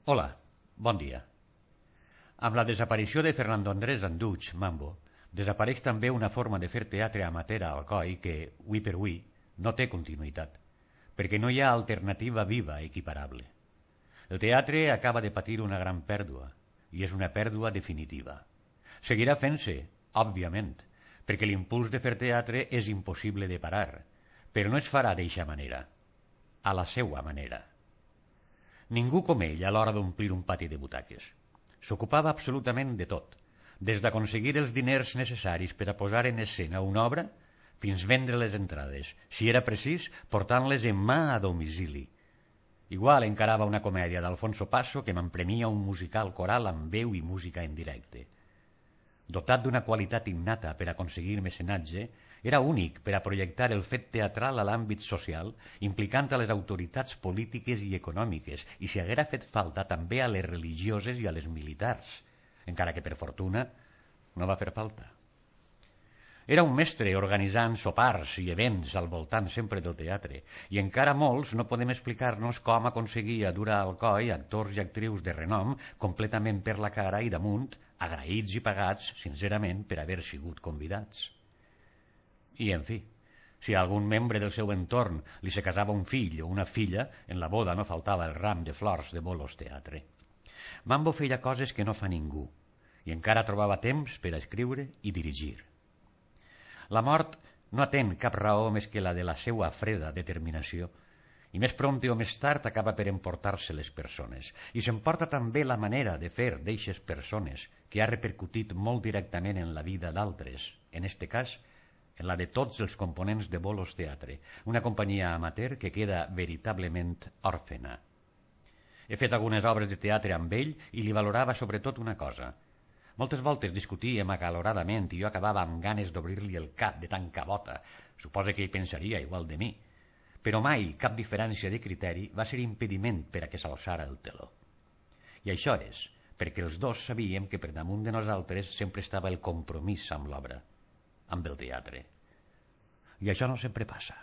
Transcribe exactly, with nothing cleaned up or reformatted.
Hola, bon dia. Amb la desaparició de Fernando Andrés Anduig, Mambo, desapareix també una forma de fer teatre amateur a Alcoi que, ui per ui, no té continuïtat, perquè no hi ha alternativa viva equiparable. El teatre acaba de patir una gran pèrdua, i és una pèrdua definitiva. Seguirà fent-se, òbviament, perquè l'impuls de fer teatre és impossible de parar, però no es farà d'eixa manera, a la seua manera. Ningú com ell a l'hora d'omplir un pati de butaques. S'ocupava absolutament de tot, des d'aconseguir els diners necessaris per a posar en escena una obra fins vendre les entrades, si era precís, portant-les en mà a domicili. Igual encarava una comèdia d'Alfonso Paso que m'empremia un musical coral amb veu i música en directe. Dotat d'una qualitat innata per aconseguir mecenatge, era únic per a projectar el fet teatral a l'àmbit social, implicant a les autoritats polítiques i econòmiques, i si haguera fet falta també a les religioses i a les militars, encara que per fortuna no va fer falta. Era un mestre organitzant sopars i events al voltant sempre del teatre, i encara molts no podem explicar-nos com aconseguia dur a Alcoi actors i actrius de renom completament per la cara i damunt, agraïts i pagats, sincerament, per haver sigut convidats. I, en fi, si a algun membre del seu entorn li se casava un fill o una filla, en la boda no faltava el ram de flors de Bolos Teatre. Mambo feia coses que no fa ningú, i encara trobava temps per a escriure i dirigir. La mort no atén cap raó més que la de la seua freda determinació, i més prompte o més tard acaba per emportar-se les persones, i s'emporta també la manera de fer d'eixes persones, que ha repercutit molt directament en la vida d'altres, en este cas, en la de tots els components de Bolos Teatre, una companyia amateur que queda veritablement òrfena. He fet algunes obres de teatre amb ell i li valorava sobretot una cosa. Moltes voltes discutíem acaloradament i jo acabava amb ganes d'obrir-li el cap de tan cabota. Suposa que ell pensaria igual de mi. Però mai cap diferència de criteri va ser impediment per a que s'alçara el teló. I això és perquè els dos sabíem que per damunt de nosaltres sempre estava el compromís amb l'obra, amb el teatre. I això no sempre passa.